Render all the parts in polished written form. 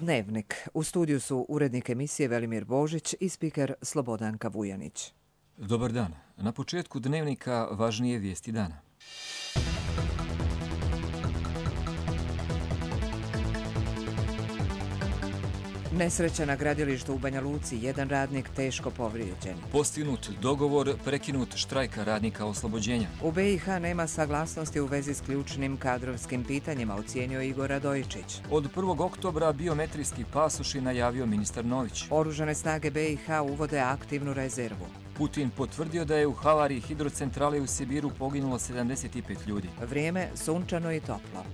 Dnevnik. U studiju su urednik emisije Velimir Božić i spiker Slobodanka Vujanić. Dobar dan. Na početku Dnevnika važnije vijesti dana. Nesreća na gradilištu u Banja Luci, jedan radnik teško povrijeđen. Postignut dogovor, prekinut štrajka radnika oslobođenja. U BiH nema saglasnosti u vezi s ključnim kadrovskim pitanjima, ocijenio Igor Radojičić. Od 1. oktobra biometrijski pasoši najavio ministar Nović. Oružane snage BiH uvode aktivnu rezervu. Putin potvrdio da je u havariji hidrocentrale u Sibiru poginulo 75 ljudi. Vrijeme sunčano i toplo.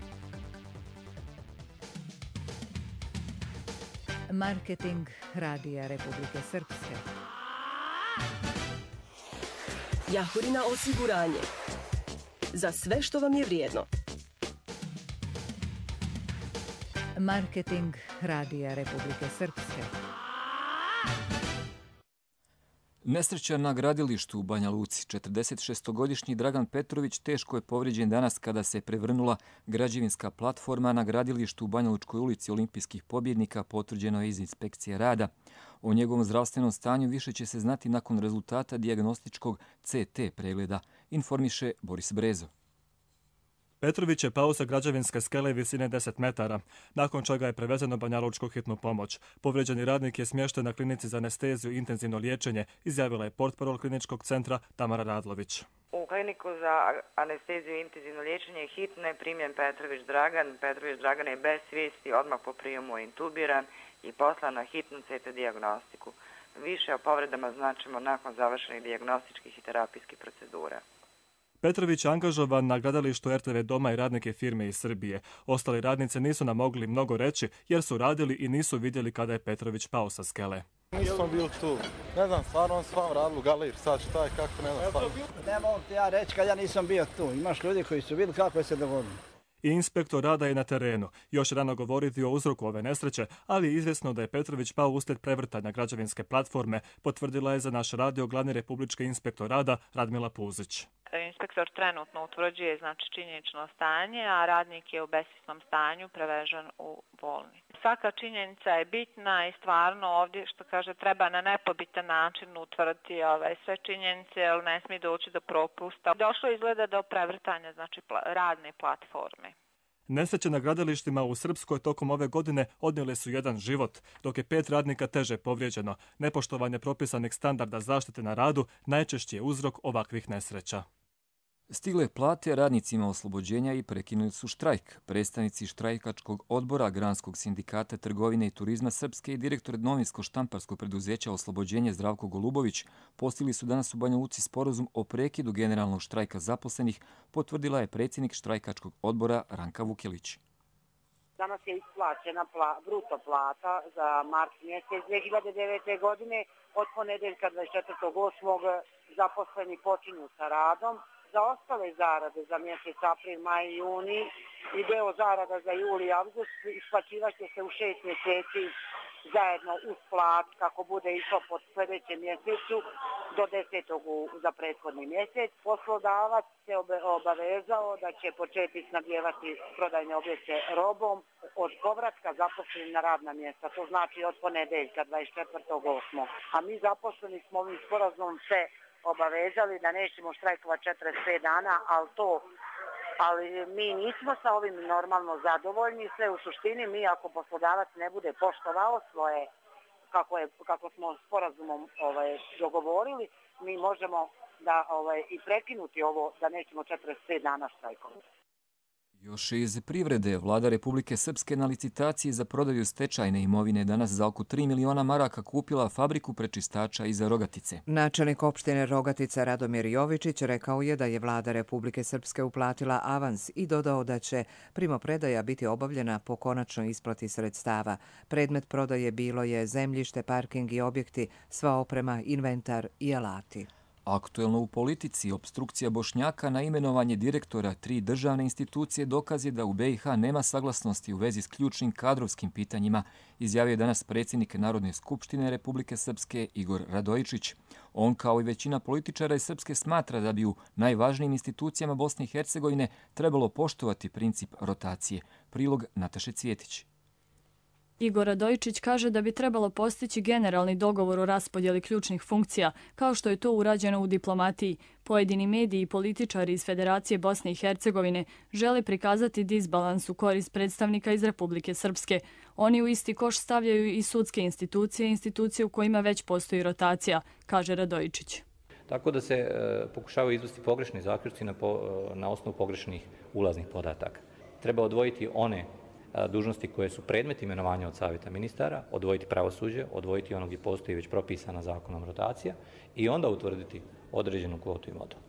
Marketing Radija Republike Srpske. Jahorina osiguranje. Za sve što vam je vrijedno. Marketing Radija Republike Srpske. Nesreća na gradilištu u Banja Luci. 46-godišnji Dragan Petrović teško je povrijeđen danas kada se prevrnula građevinska platforma na gradilištu u Banja Lučkoj ulici Olimpijskih pobjednika, potvrđeno je iz inspekcije rada. O njegovom zdravstvenom stanju više će se znati nakon rezultata dijagnostičkog CT pregleda, informiše Boris Brezo. Petrović je pao sa građevinske skele visine 10 metara, nakon čega je prevezen u Banja Lučku hitnu pomoć. Povrijeđeni radnik je smješten na klinici za anesteziju i intenzivno liječenje, izjavila je portparol kliničkog centra Tamara Radlović. U kliniku za anesteziju i intenzivno liječenje hitno je primjen Petrović Dragan. Petrović Dragan je bez svijesti, odmah po prijemu intubiran i poslan na hitnu CT dijagnostiku. Više o povredama značimo nakon završenih dijagnostičkih i terapijskih procedura. Petrović je angažovan na gradilištu RTV Doma i radnike firme iz Srbije. Ostali radnice nisu nam mogli mnogo reći jer su radili i nisu vidjeli kada je Petrović pao sa skele. Nisam bio tu. Ne znam, stvarno s vam radili u galeri, sad šta je, kako, ne znam stvarno. Ne mogu ti ja reći kad ja nisam bio tu. Imaš ljudi koji su vidjeli kako je se dogodilo. I inspektor rada je na terenu. Još rano govoriti o uzroku ove nesreće, ali je izvjesno da je Petrović pao uslijed prevrtanja građevinske platforme, potvrdila je za naš radio glavni republički inspektor rada Radmila Puzić. Inspektor trenutno utvrđuje činjenično stanje, a radnik je u besvjesnom stanju prevežen u bolnicu. Svaka činjenica je bitna i stvarno ovdje, što kaže, treba na nepobitan način utvrditi sve činjenice, jer ne smije doći do propusta. Došlo izgleda do prevrtanja radne platforme. Nesreće na gradilištima u Srpskoj tokom ove godine odnijele su jedan život, dok je 5 radnika teže povrijeđeno. Nepoštovanje propisanih standarda zaštite na radu najčešći je uzrok ovakvih nesreća. Stigle plate radnicima oslobođenja i prekinuli su štrajk. Predstavnici štrajkačkog odbora Granskog sindikata trgovine i turizma Srpske i direktor novinsko-štamparskog preduzeća Oslobođenje Zdravko Golubović postigli su danas u Banja Luci sporazum o prekidu generalnog štrajka zaposlenih, potvrdila je predsjednik štrajkačkog odbora Ranka Vukelić. Danas je isplaćena bruto plata za mart mjesec 2009. godine. Od ponedeljka 24.8. zaposleni počinju sa radom. Za ostale zarade za mjesec april, maj i juni i deo zarada za juli i avgust isplaćivaće se u 6 mjeseci zajedno uz plat kako bude išlo pod sljedećem mjesecu do 10. za prethodni mjesec. Poslodavac se obavezao da će početi snabdijevati prodajne objekte robom od povratka zaposlenih na radna mjesta. To znači od ponedeljka 24.8. A mi zaposleni smo ovim sporazumom se obavezali da nećemo štrajkovati 45 dana, ali mi nismo sa ovim normalno zadovoljni. Sve u suštini mi ako poslodavac ne bude poštovao svoje, kako smo sporazumom dogovorili, mi možemo da i prekinuti ovo da nećemo 45 dana štrajkovati. Još iz privrede, vlada Republike Srpske na licitaciji za prodaju stečajne imovine danas za oko 3 miliona maraka kupila fabriku prečistača iz Rogatice. Načelnik opštine Rogatica Radomir Jovičić rekao je da je vlada Republike Srpske uplatila avans i dodao da će primopredaja biti obavljena po konačnoj isplati sredstava. Predmet prodaje bilo je zemljište, parking i objekti, sva oprema, inventar i alati. Aktuelno u politici, opstrukcija Bošnjaka na imenovanje direktora 3 državne institucije dokaz je da u BiH nema saglasnosti u vezi s ključnim kadrovskim pitanjima, izjavio je danas predsjednik Narodne skupštine Republike Srpske Igor Radojičić. On, kao i većina političara iz Srpske, smatra da bi u najvažnijim institucijama Bosne i Hercegovine trebalo poštovati princip rotacije. Prilog Nataše Cvjetić. Igor Radojičić kaže da bi trebalo postići generalni dogovor o raspodjeli ključnih funkcija, kao što je to urađeno u diplomatiji. Pojedini mediji i političari iz Federacije Bosne i Hercegovine žele prikazati disbalans u korist predstavnika iz Republike Srpske. Oni u isti koš stavljaju i sudske institucije, institucije u kojima već postoji rotacija, kaže Radojičić. Tako da se pokušavaju izvesti pogrešni zaključci na osnovu pogrešnih ulaznih podataka. Treba odvojiti one dužnosti koje su predmet imenovanja od Savjeta ministara, odvojiti pravosuđe, odvojiti ono gdje postoji već propisana zakonom rotacija i onda utvrditi određenu kvotu i model.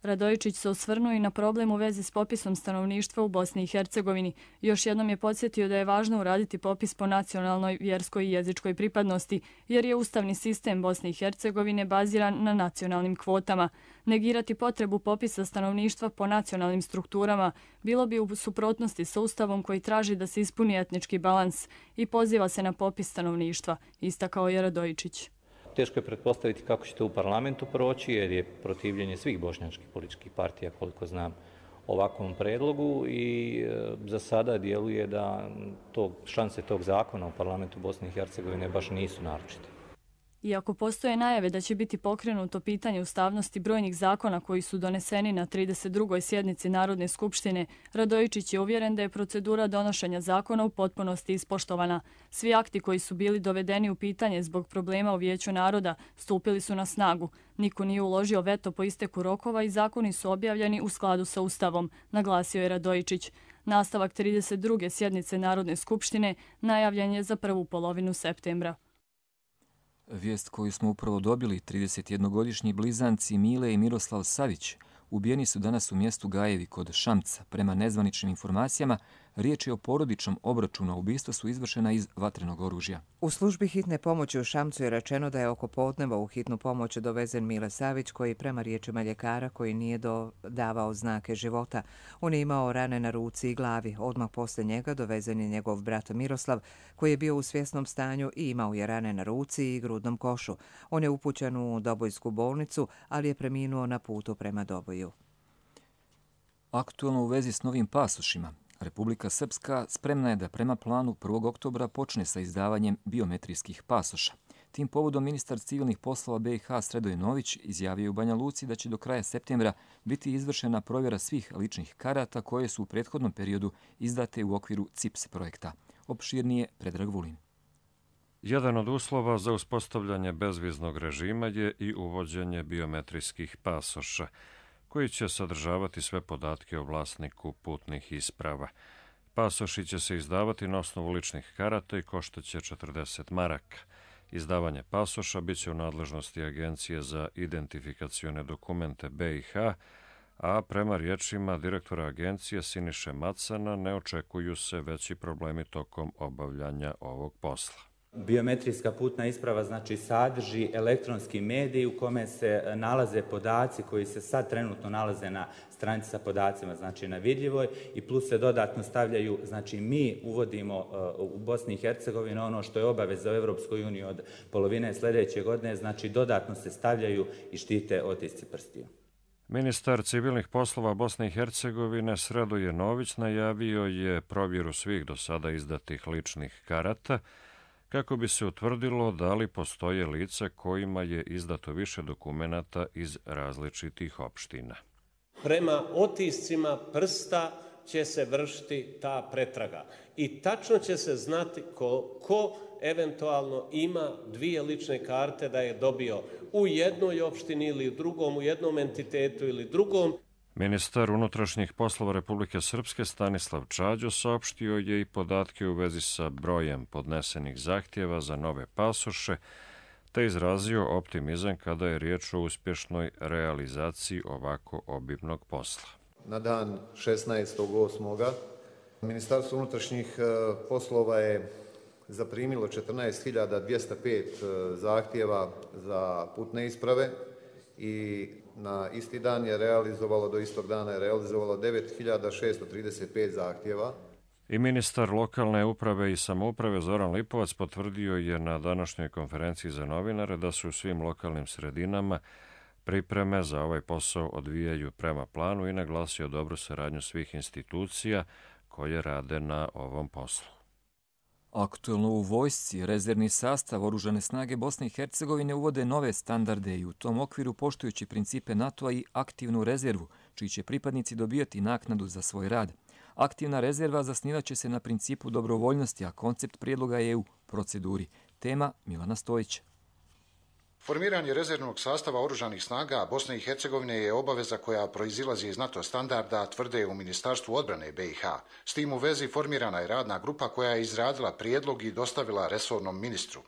Radojičić se osvrnuo i na problem u vezi s popisom stanovništva u Bosni i Hercegovini. Još jednom je podsjetio da je važno uraditi popis po nacionalnoj, vjerskoj i jezičkoj pripadnosti, jer je ustavni sistem Bosne i Hercegovine baziran na nacionalnim kvotama. Negirati potrebu popisa stanovništva po nacionalnim strukturama bilo bi u suprotnosti sa ustavom koji traži da se ispuni etnički balans i poziva se na popis stanovništva, istakao je Radojičić. Teško je pretpostaviti kako će to u parlamentu proći, jer je protivljenje svih bošnjačkih političkih partija, koliko znam, ovakvom predlogu i za sada djeluje da šanse tog zakona u parlamentu Bosne i Hercegovine baš nisu naročite. Iako postoje najave da će biti pokrenuto pitanje ustavnosti brojnih zakona koji su doneseni na 32. sjednici Narodne skupštine, Radojičić je uvjeren da je procedura donošenja zakona u potpunosti ispoštovana. Svi akti koji su bili dovedeni u pitanje zbog problema u Vijeću naroda stupili su na snagu. Niko nije uložio veto po isteku rokova i zakoni su objavljeni u skladu sa Ustavom, naglasio je Radojičić. Nastavak 32. sjednice Narodne skupštine najavljen je za prvu polovinu septembra. Vijest koju smo upravo dobili, 31-godišnji blizanci Mile i Miroslav Savić ubijeni su danas u mjestu Gajevi kod Šamca. Prema nezvaničnim informacijama, riječ je o porodičnom obračunu, a ubistva su izvršena iz vatrenog oružja. U službi hitne pomoći u Šamcu je rečeno da je oko podneva u hitnu pomoć dovezen Mile Savić, koji prema riječima ljekara koji nije davao znake života. On je imao rane na ruci i glavi. Odmah posle njega dovezen je njegov brat Miroslav, koji je bio u svjesnom stanju i imao je rane na ruci i grudnom košu. On je upućen u Dobojsku bolnicu, ali je preminuo na putu prema Doboju. Aktualno u vezi s novim pasošima. Republika Srpska spremna je da prema planu 1. oktobra počne sa izdavanjem biometrijskih pasoša. Tim povodom ministar civilnih poslova BiH Sredoje Nović izjavio u Banja Luci da će do kraja septembra biti izvršena provjera svih ličnih karata koje su u prethodnom periodu izdate u okviru CIPS projekta. Opširnije Predrag Vulin. Jedan od uslova za uspostavljanje bezviznog režima je i uvođenje biometrijskih pasoša, koji će sadržavati sve podatke o vlasniku putnih isprava. Pasoši će se izdavati na osnovu ličnih karata i koštaće 40 maraka. Izdavanje pasoša bit će u nadležnosti Agencije za identifikacione dokumente BiH, a prema riječima direktora agencije Siniše Macana ne očekuju se veći problemi tokom obavljanja ovog posla. Biometrijska putna isprava znači sadrži elektronski medij u kome se nalaze podaci koji se sad trenutno nalaze na stranici sa podacima, znači na vidljivoj, i plus se dodatno stavljaju, znači mi uvodimo u Bosni i Hercegovini ono što je obaveza u Europskoj uniji od polovine sljedeće godine, znači dodatno se stavljaju i štite otisci prstiju. Ministar civilnih poslova Bosne i Hercegovine Sredoje Nović najavio je provjeru svih do sada izdatih ličnih karata, kako bi se utvrdilo da li postoje lica kojima je izdato više dokumenata iz različitih opština. Prema otiscima prsta će se vršiti ta pretraga i tačno će se znati ko eventualno ima dvije lične karte da je dobio u jednoj opštini ili drugom, u jednom entitetu ili drugom. Ministar unutrašnjih poslova Republike Srpske Stanislav Čađo saopštio je i podatke u vezi sa brojem podnesenih zahtjeva za nove pasoše, te izrazio optimizam kada je riječ o uspješnoj realizaciji ovako obimnog posla. Na dan 16.8. Ministarstvo unutrašnjih poslova je zaprimilo 14.205 zahtjeva za putne isprave i na isti dan je do istog dana je realizovalo 9.635 zahtjeva. I ministar lokalne uprave i samouprave Zoran Lipovac potvrdio je na današnjoj konferenciji za novinare da su u svim lokalnim sredinama pripreme za ovaj posao odvijaju prema planu i naglasio dobru saradnju svih institucija koje rade na ovom poslu. Aktuelno u vojsci, rezervni sastav Oružane snage Bosne i Hercegovine uvode nove standarde i u tom okviru poštujući principe NATO-a i aktivnu rezervu, čiji će pripadnici dobijati naknadu za svoj rad. Aktivna rezerva zasnivaće se na principu dobrovoljnosti, a koncept prijedloga je u proceduri. Tema Milana Stojića. Formiranje rezervnog sastava Oružanih snaga Bosne i Hercegovine je obaveza koja proizilazi iz NATO standarda, tvrde u Ministarstvu odbrane BiH. S tim u vezi formirana je radna grupa koja je izradila prijedlog i dostavila resornom ministru.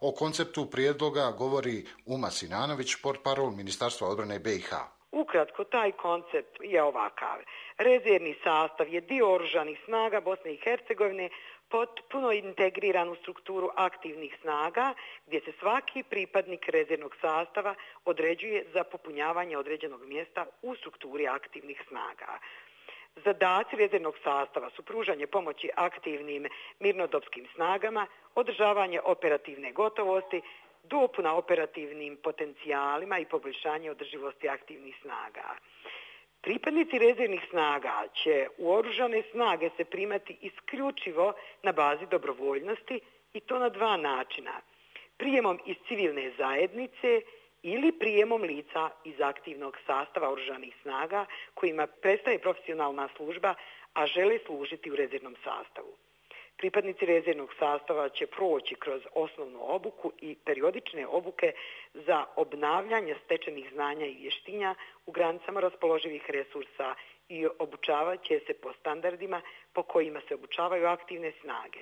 O konceptu prijedloga govori Uma Sinanović, portparol Ministarstva odbrane BiH. Ukratko, taj koncept je ovakav. Rezervni sastav je dio Oružanih snaga Bosne i Hercegovine potpuno integriran u strukturu aktivnih snaga, gdje se svaki pripadnik rezervnog sastava određuje za popunjavanje određenog mjesta u strukturi aktivnih snaga. Zadaci rezervnog sastava su pružanje pomoći aktivnim mirnodopskim snagama, održavanje operativne gotovosti, dopuna operativnim potencijalima i poboljšanje održivosti aktivnih snaga. Pripadnici rezervnih snaga će u Oružane snage se primati isključivo na bazi dobrovoljnosti i to na dva načina. Prijemom iz civilne zajednice ili prijemom lica iz aktivnog sastava Oružanih snaga kojima prestaje profesionalna služba, a žele služiti u rezervnom sastavu. Pripadnici rezervnog sastava će proći kroz osnovnu obuku i periodične obuke za obnavljanje stečenih znanja i vještinja u granicama raspoloživih resursa i obučavat će se po standardima po kojima se obučavaju aktivne snage.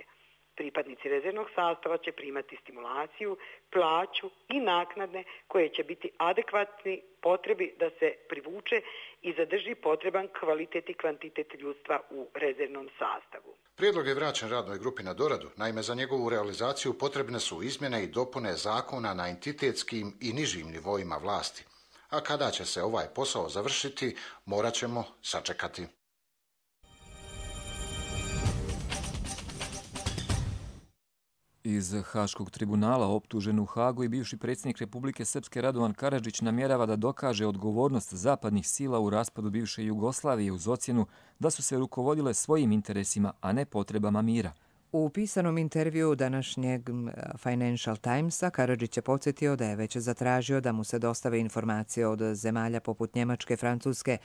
Pripadnici rezervnog sastava će primati stimulaciju, plaću i naknade koje će biti adekvatni potrebi da se privuče i zadrži potreban kvalitet i kvantitet ljudstva u rezervnom sastavu. Prijedlog je vraćen radnoj grupi na doradu, naime za njegovu realizaciju potrebne su izmjene i dopune zakona na entitetskim i nižim nivoima vlasti. A kada će se ovaj posao završiti, morat ćemo sačekati. Iz Haškog tribunala optužen u Hagu i bivši predsjednik Republike Srpske Radovan Karadžić namjerava da dokaže odgovornost zapadnih sila u raspadu bivše Jugoslavije uz ocjenu da su se rukovodile svojim interesima, a ne potrebama mira. U pisanom intervjuu današnjeg Financial Timesa Karadžić je podsjetio da je već zatražio da mu se dostave informacije od zemalja poput Njemačke, Francuske,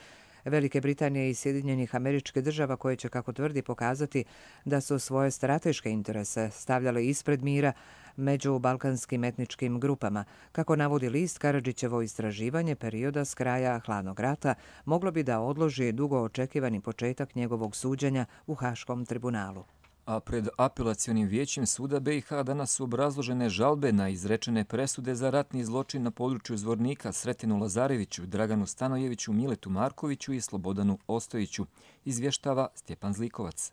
Velike Britanije i Sjedinjenih Američkih Država koje će, kako tvrdi, pokazati da su svoje strateške interese stavljale ispred mira među balkanskim etničkim grupama. Kako navodi list, Karadžićevo istraživanje perioda s kraja hladnog rata moglo bi da odloži dugo očekivani početak njegovog suđenja u Haškom tribunalu. A pred apelacionim vijećem suda BiH danas su obrazložene žalbe na izrečene presude za ratni zločin na području Zvornika Sretenu Lazareviću, Draganu Stanojeviću, Miletu Markoviću i Slobodanu Ostojiću, izvještava Stjepan Zlikovac.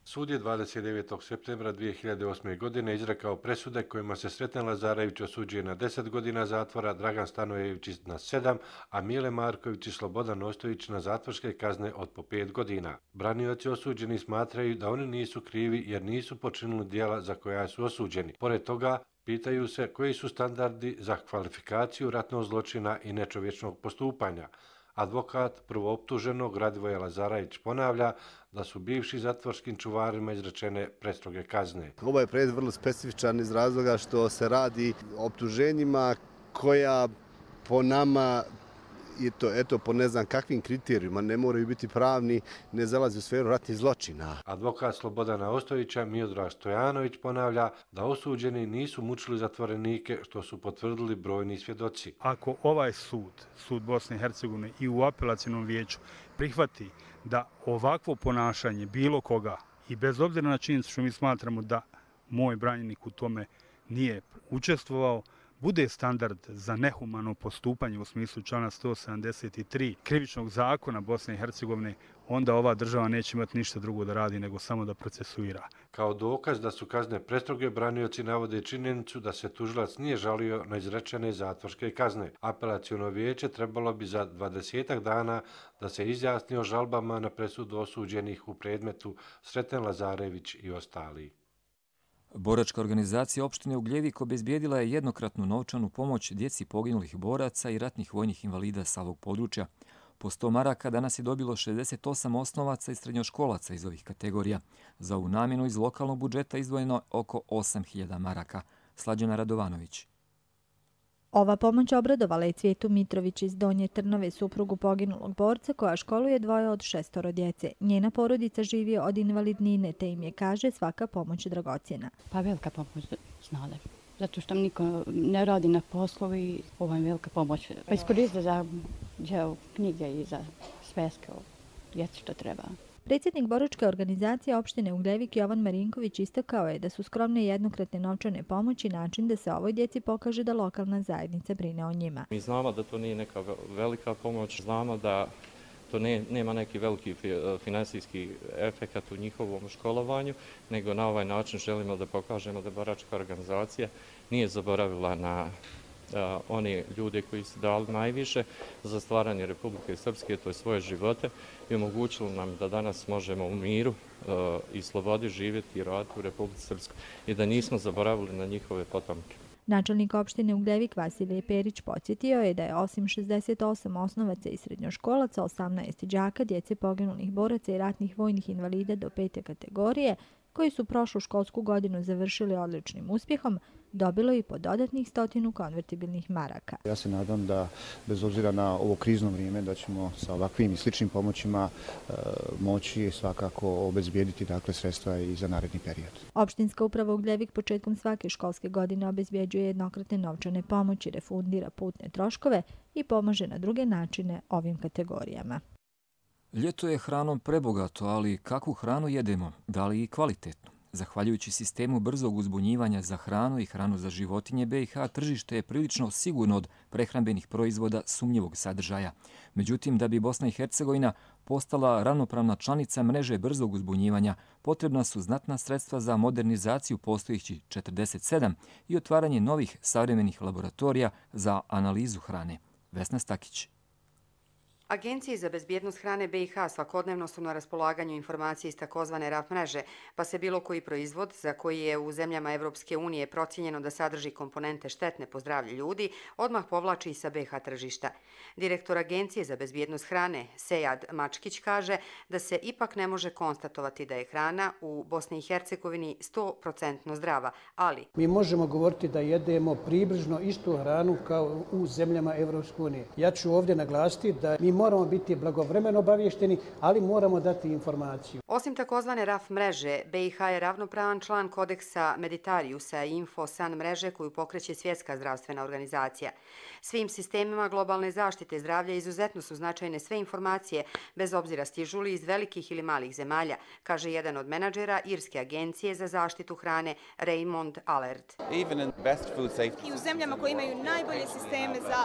Sud je 29. septembra 2008. godine izrekao presude kojima se Sreten Lazarević osuđuje na 10 godina zatvora, Dragan Stanojević na 7, a Mile Marković i Slobodan Ostojić na zatvorske kazne od po 5 godina. Branioci osuđeni smatraju da oni nisu krivi jer nisu počinili djela za koja su osuđeni. Pored toga, pitaju se koji su standardi za kvalifikaciju ratnog zločina i nečovječnog postupanja. Advokat prvooptuženog Radivoje Lazarević ponavlja da su bivši zatvorskim čuvarima izrečene prestroge kazne. Ovo je predmet vrlo specifičan iz razloga što se radi o optuženjima koja po nama i to po ne znam kakvim kriterijima, ne moraju biti pravni, ne zalazi u sferu ratnih zločina. Advokat Slobodana Ostojića Miodrag Stojanović ponavlja da osuđeni nisu mučili zatvorenike, što su potvrdili brojni svjedoci. Ako ovaj sud Bosne i Hercegovine i u apelacionom vijeću prihvati da ovakvo ponašanje bilo koga, i bez obzira na činjenicu što mi smatramo da moj branjenik u tome nije učestvovao, bude standard za nehumano postupanje u smislu člana 173 krivičnog zakona Bosne i Hercegovine, onda ova država neće imati ništa drugo da radi nego samo da procesuira. Kao dokaz da su kazne prestroge, branioci navode činjenicu da se tužilac nije žalio na izrečene zatvorske kazne. Apelaciono vijeće trebalo bi za 20 dana da se izjasni o žalbama na presudu osuđenih u predmetu Sreten Lazarević i ostali. Boračka organizacija opštine Ugljevik obezbijedila je jednokratnu novčanu pomoć djeci poginulih boraca i ratnih vojnih invalida sa ovog područja. Po 100 maraka danas je dobilo 68 osnovaca i srednjoškolaca iz ovih kategorija. Za ovu namjenu iz lokalnog budžeta izdvojeno oko 8.000 maraka. Slađana Radovanović. Ova pomoć obradovala je Cvijetu Mitrović iz Donje Trnove, suprugu poginulog borca koja školuje 2 od 6 djece. Njena porodica živi od invalidnine, te im je, kaže, svaka pomoć dragocjena. Pa velika pomoć, znate. Zato što niko ne radi na poslu i ovo je velika pomoć. Pa iskoristite za knjige i za sveske o djeci što treba. Predsjednik boračke organizacije opštine Ugljevik Jovan Marinković istakao je da su skromne jednokratne novčane pomoći način da se ovoj djeci pokaže da lokalna zajednica brine o njima. Mi znamo da to nije neka velika pomoć, znamo da to nema neki veliki finansijski efekt u njihovom školovanju, nego na ovaj način želimo da pokažemo da boračka organizacija nije zaboravila na one ljude koji su dali najviše za stvaranje Republike Srpske, to je svoje živote, i omogućilo nam da danas možemo u miru i slobodi živjeti i raditi u Republici Srpskoj i da nismo zaboravili na njihove potomke. Načelnik opštine Ugljevik Vasilije Perić podsjetio je da je osim 68 osnovaca i srednjoškolaca, 18 đaka, djece poginulih boraca i ratnih vojnih invalida do 5. kategorije, koji su prošlu školsku godinu završili odličnim uspjehom, dobilo i po dodatnih 100 konvertibilnih maraka. Ja se nadam da, bez obzira na ovo krizno vrijeme, da ćemo sa ovakvim i sličnim pomoćima moći svakako obezbijediti sredstva i za naredni period. Opštinska uprava Ugljevik početkom svake školske godine obezbjeđuje jednokratne novčane pomoći, refundira putne troškove i pomaže na druge načine ovim kategorijama. Ljeto je hranom prebogato, ali kakvu hranu jedemo? Da li i kvalitetnu? Zahvaljujući sistemu brzog uzbunjivanja za hranu i hranu za životinje, BiH tržište je prilično sigurno od prehrambenih proizvoda sumnjivog sadržaja. Međutim, da bi Bosna i Hercegovina postala ravnopravna članica mreže brzog uzbunjivanja, potrebna su znatna sredstva za modernizaciju postojećih 47 i otvaranje novih savremenih laboratorija za analizu hrane. Vesna Stakić. Agencije za bezbjednost hrane BiH svakodnevno su na raspolaganju informacije iz takozvane RAF mreže, pa se bilo koji proizvod za koji je u zemljama Evropske unije procijenjeno da sadrži komponente štetne po zdravlje ljudi, odmah povlači i sa BiH tržišta. Direktor Agencije za bezbjednost hrane, Sejad Mačkić, kaže da se ipak ne može konstatovati da je hrana u Bosni i Hercegovini 100% zdrava, ali... Mi možemo govoriti da jedemo približno istu hranu kao u zemljama Evropske unije. Ja ću ovdje naglasiti da mi moramo biti blagovremeno obavješteni, ali moramo dati informaciju. Osim takozvane RAF mreže, BiH je ravnopravan član kodeksa Meditariusa i Infosan mreže koju pokreće Svjetska zdravstvena organizacija. Svim sistemima globalne zaštite zdravlja izuzetno su značajne sve informacije, bez obzira stižu li iz velikih ili malih zemalja, kaže jedan od menadžera Irske agencije za zaštitu hrane Raymond Allard. I u zemljama koje imaju najbolje sisteme za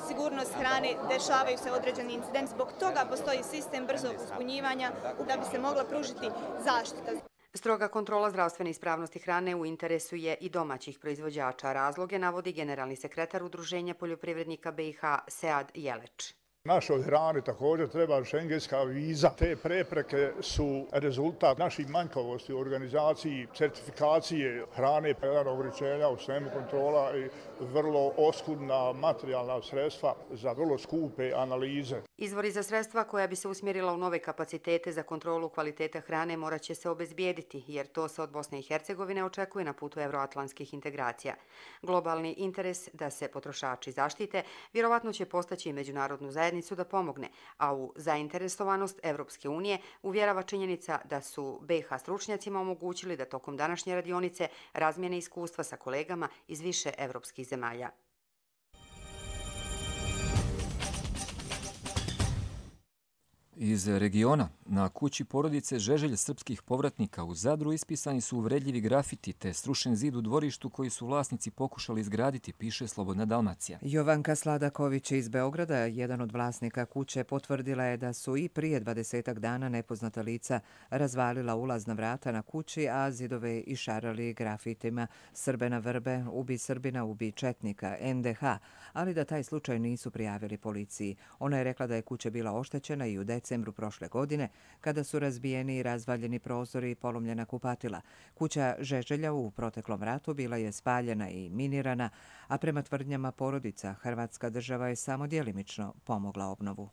sigurnost hrane dešavaju se određeni incident. Zbog toga postoji sistem brzog uzbunjivanja da bi se mogla pružiti zaštita. Stroga kontrola zdravstvene ispravnosti hrane u interesu je i domaćih proizvođača. Razloge navodi generalni sekretar Udruženja poljoprivrednika BiH Sead Jeleč. Našoj hrani također treba šengenska viza. Te prepreke su rezultat naših manjkavosti u organizaciji certifikacije hrane, jedan ograničenja u svemu kontrola i vrlo oskudna materijalna sredstva za vrlo skupe analize. Izvori za sredstva koja bi se usmjerila u nove kapacitete za kontrolu kvaliteta hrane morat će se obezbijediti, jer to se od Bosne i Hercegovine očekuje na putu evroatlantskih integracija. Globalni interes da se potrošači zaštite vjerovatno će postaći i međunarodnu zajednicu da pomogne, a u zainteresovanost Evropske unije uvjerava činjenica da su BiH stručnjacima omogućili da tokom današnje radionice razmijene iskustva sa kolegama iz više evropskih zemalja. Iz regiona na kući porodice Žeželj srpskih povratnika u Zadru ispisani su uvredljivi grafiti te srušen zid u dvorištu koji su vlasnici pokušali izgraditi, piše Slobodna Dalmacija. Jovanka Sladaković iz Beograda, jedan od vlasnika kuće, potvrdila je da su i prije 20 dana nepoznata lica razvalila ulazna vrata na kući, a zidove išarali grafitima Srbe na vrbe, ubi Srbina, ubi Četnika, NDH, ali da taj slučaj nisu prijavili policiji. Ona je rekla da je kuća bila oštećena i u decembru prošle godine, kada su razbijeni i razvaljeni prozori i polomljena kupatila. Kuća Žeželja u proteklom ratu bila je spaljena i minirana, a prema tvrdnjama porodica, Hrvatska država je samo djelimično pomogla obnovu.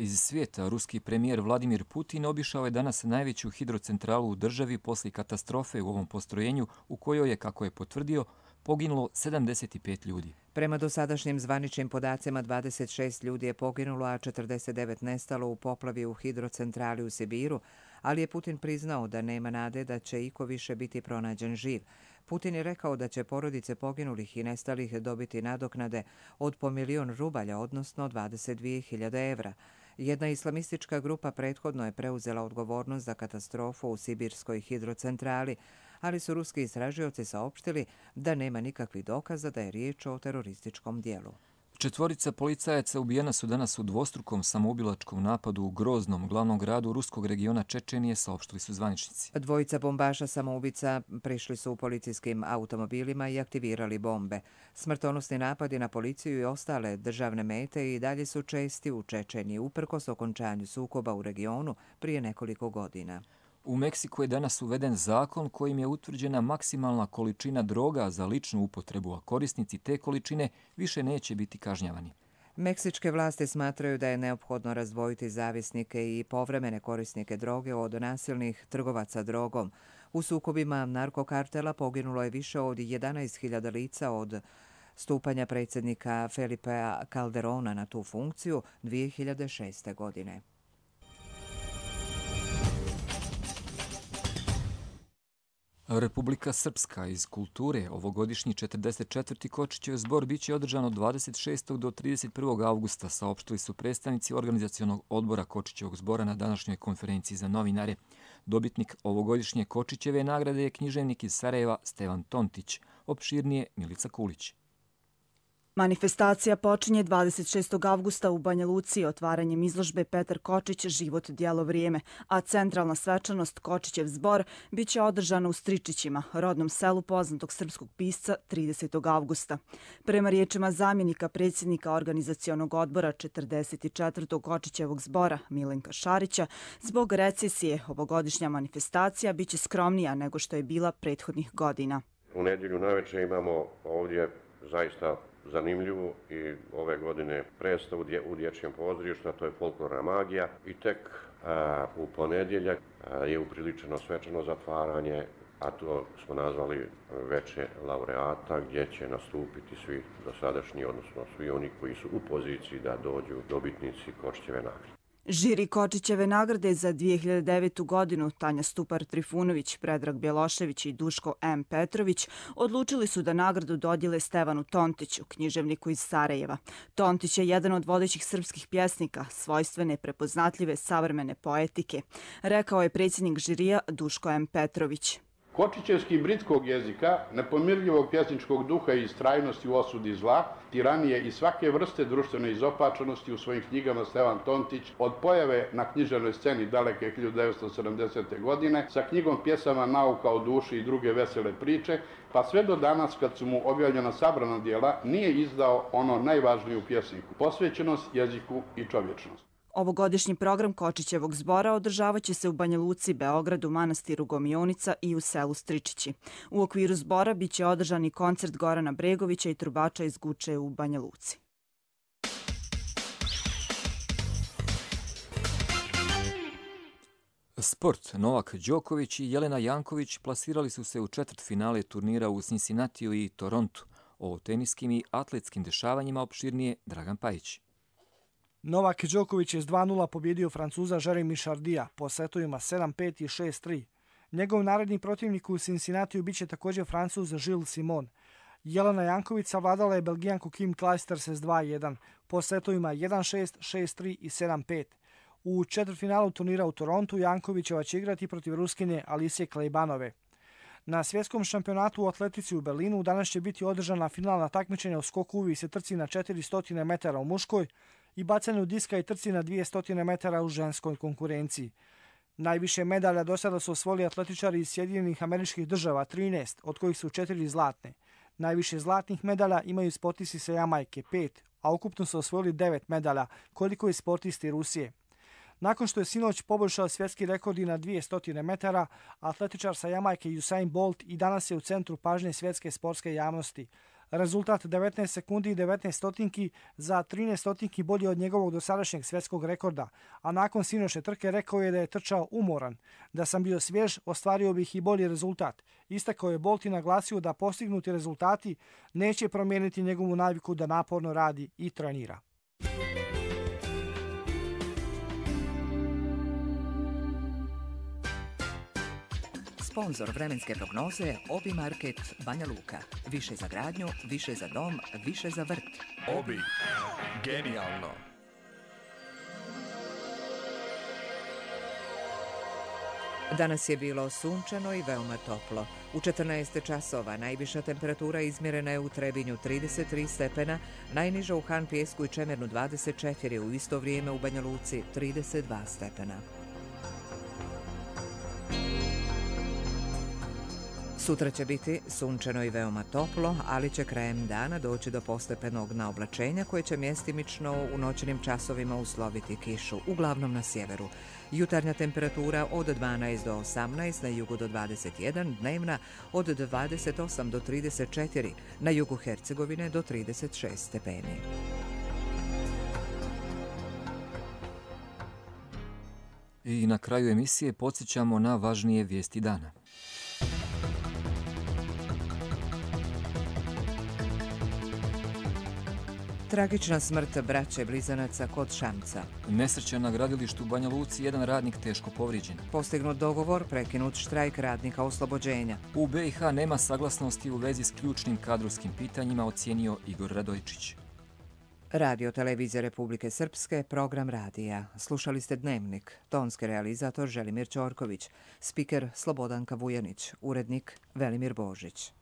Iz svijeta, ruski premijer Vladimir Putin obišao je danas najveću hidrocentralu u državi poslije katastrofe u ovom postrojenju u kojoj je, kako je potvrdio, poginulo 75 ljudi. Prema dosadašnjim zvaničnim podacima 26 ljudi je poginulo, a 49 nestalo u poplavi u hidrocentrali u Sibiru, ali je Putin priznao da nema nade da će iko više biti pronađen živ. Putin je rekao da će porodice poginulih i nestalih dobiti nadoknade od po 1.000.000 rubalja, odnosno 22.000 evra. Jedna islamistička grupa prethodno je preuzela odgovornost za katastrofu u sibirskoj hidrocentrali, ali su ruski istražioci saopštili da nema nikakvih dokaza da je riječ o terorističkom dijelu. 4 policajaca ubijena su danas u dvostrukom samoubilačkom napadu u Groznom, glavnom gradu ruskog regiona Čečenije, saopštili su zvaničnici. 2 bombaša samoubica prišli su u policijskim automobilima i aktivirali bombe. Smrtonosni napadi na policiju i ostale državne mete i dalje su česti u Čečeniji, uprkos okončanju sukoba u regionu prije nekoliko godina. U Meksiku je danas uveden zakon kojim je utvrđena maksimalna količina droga za ličnu upotrebu, a korisnici te količine više neće biti kažnjavani. Meksičke vlasti smatraju da je neophodno razdvojiti zavisnike i povremene korisnike droge od nasilnih trgovaca drogom. U sukobima narkokartela poginulo je više od 11.000 lica od stupanja predsjednika Felipea Calderona na tu funkciju 2006. godine. Republika Srpska iz kulture, ovogodišnji 44. Kočićev zbor biće održan od 26. do 31. avgusta, saopštili su predstavnici organizacionog odbora Kočićevog zbora na današnjoj konferenciji za novinare. Dobitnik ovogodišnje Kočićeve nagrade je književnik iz Sarajeva Stevan Tontić, opširnije Milica Kulić. Manifestacija počinje 26. avgusta u Banja Luci otvaranjem izložbe Petar Kočić Život, djelo, vrijeme, a centralna svečanost Kočićev zbor biće održana u Stričićima, rodnom selu poznatog srpskog pisca, 30. avgusta. Prema riječima zamjenika predsjednika organizacionog odbora 44. Kočićevog zbora Milenka Šarića, zbog recesije ovogodišnja manifestacija biće skromnija nego što je bila prethodnih godina. U nedjelju navečer imamo ovdje zaista zanimljivu i ove godine predstavu u dječjem pozorištu, a to je folklorna magija. I tek u ponedjeljak je upriličeno svečano zatvaranje, a to smo nazvali veče laureata, gdje će nastupiti svi dosadašnji, odnosno svi oni koji su u poziciji da dođu dobitnici Kočićeve nagrade. Žiri Kočićeve nagrade za 2009. godinu Tanja Stupar-Trifunović, Predrag Bjelošević i Duško M. Petrović odlučili su da nagradu dodijele Stevanu Tontiću, književniku iz Sarajeva. Tontić je jedan od vodećih srpskih pjesnika, svojstvene, prepoznatljive, savremene poetike, rekao je predsjednik žirija Duško M. Petrović. Kočićevski britskog jezika, nepomirljivog pjesničkog duha i istrajnosti u osudi zla, tiranije i svake vrste društvene izopačenosti u svojim knjigama Stevan Tontić od pojave na književnoj sceni daleke 1970. godine sa knjigom pjesama Nauka o duši i druge vesele priče, pa sve do danas kad su mu objavljena sabrana dijela, nije izdao ono najvažnije u pjesniku, posvećenost jeziku i čovječnost. Ovogodišnji program Kočićevog zbora održavaće se u Banja Luci, Beogradu, manastiru Gomionica i u selu Stričići. U okviru zbora biće održan i koncert Gorana Bregovića i trubača iz Guče u Banja Luci. Sport. Novak Đoković i Jelena Janković plasirali su se u četvrtfinale turnira u Cincinnatiju i Torontu. O teniskim i atletskim dešavanjima opširnije Dragan Pajić. Novak Đoković je s 2:0 pobjedio Francuza Jeremy Chardija po setovima 7-5 i 6-3. Njegov naredni protivnik u Cincinnatiju biće također Francuz Gilles Simon. Jelena Janković savladala je Belgijanku Kim Clijsters s 2-1 po setovima 1-6, 6-3 i 7-5. U četvrtfinalu turnira u Torontu Jankovićeva će igrati protiv Ruskinje Alicije Klejbanove. Na svjetskom šampionatu u atletici u Berlinu danas će biti održana finalna takmičenja u skoku uvijek trci na 400 metara u muškoj i bacanju diska i trci na 200 metara u ženskoj konkurenciji. Najviše medalja do sada su osvojili atletičari iz Sjedinjenih Američkih Država, 13, od kojih su 4 zlatne. Najviše zlatnih medalja imaju sportisti sa Jamajke, 5, a ukupno su osvojili 9 medalja, koliko i sportisti Rusije. Nakon što je sinoć poboljšao svjetski rekord i na 200 metara, atletičar sa Jamajke Usain Bolt i danas je u centru pažnje svjetske sportske javnosti. Rezultat 19 sekundi i 19 stotinki za 13 stotinki bolji od njegovog dosadašnjeg svjetskog rekorda, a nakon sinoćne trke rekao je da je trčao umoran. Da sam bio svjež, ostvario bih i bolji rezultat. Istakao je Bolt i naglasio da postignuti rezultati neće promijeniti njegovu naviku da naporno radi i trenira. Sponzor vremenske prognoze Obi Market Banja Luka. Više za gradnju, više za dom, više za vrt. Obi. Genijalno. Danas je bilo sunčano i veoma toplo. U 14 časova najviša temperatura izmjerena je u Trebinju 33 stepena, najniža u Han Pijesku i Čemernu 24, u isto vrijeme u Banja Luci 32 stepena. Sutra će biti sunčano i veoma toplo, ali će krajem dana doći do postepenog naoblačenja koje će mjestimično u noćnim časovima usloviti kišu, uglavnom na sjeveru. Jutarnja temperatura od 12 do 18, na jugu do 21, dnevna od 28 do 34, na jugu Hercegovine do 36 stepeni. I na kraju emisije podsjećamo na važnije vijesti dana. Tragična smrt braće blizanaca kod Šamca. Nesreća na gradilištu u Banja Luci, jedan radnik teško povrijeđen. Postignut dogovor, prekinut štrajk radnika oslobođenja. U BiH nema saglasnosti u vezi s ključnim kadrovskim pitanjima, ocijenio Igor Radojčić. Radio Televizija Republike Srpske, program radija. Slušali ste Dnevnik, tonski realizator Želimir Ćorković, spiker Slobodanka Vujanić, urednik Velimir Božić.